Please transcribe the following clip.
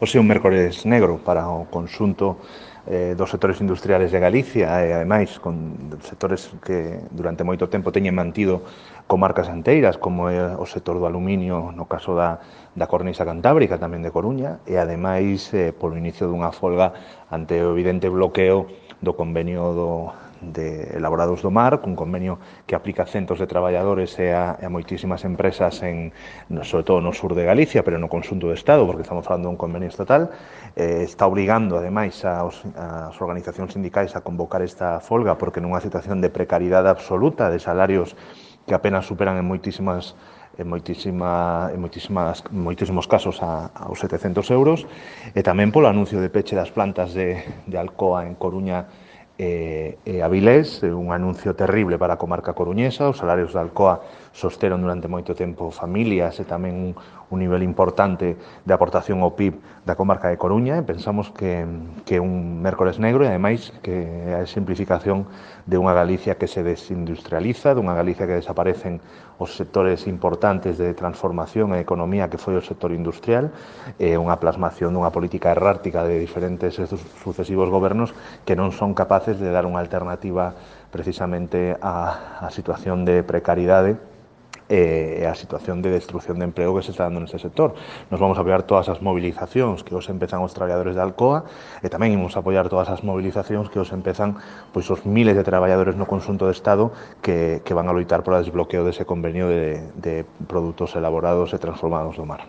Hoxe é un mércores negro para o conxunto dos sectores industriales de Galicia e, ademais, con sectores que durante moito tempo teñen mantido comarcas enteiras, como é o sector do aluminio, no caso da cornisa cantábrica, tamén de Coruña, e, ademais, polo inicio dunha folga ante o evidente bloqueo do convenio de Elaborados do Mar, cun convenio que aplica a centos de traballadores e a moitísimas empresas sobre todo no sur de Galicia, pero no conxunto do Estado, porque estamos falando dun convenio estatal, está obrigando, ademais, as organizacións sindicais a convocar esta folga, porque nunha situación de precariedade absoluta, de salarios que apenas superan en moitísimos casos aos 700 euros, e tamén polo anuncio de peche das plantas de Alcoa en Coruña e Avilés, un anuncio terrible para a comarca coruñesa. Os salarios de Alcoa sosteron durante moito tempo familias e tamén un nivel importante de aportación ao PIB da comarca de Coruña, e pensamos que é un mércores negro e, ademais, que é a simplificación de unha Galicia que se desindustrializa, dunha Galicia que desaparecen os sectores importantes de transformación e economía que foi o sector industrial, e unha plasmación dunha política errática de diferentes sucesivos gobernos que non son capaces de dar unha alternativa precisamente á situación de precariedade e a situación de destrucción de emprego que se está dando neste sector. Nos vamos a apoiar todas as movilizacións que hoxe empezan os traballadores de Alcoa, e tamén imos a apoiar todas as movilizacións que hoxe empezan os miles de traballadores no conxunto do Estado que van a loitar por o desbloqueo dese convenio de produtos elaborados e transformados do mar.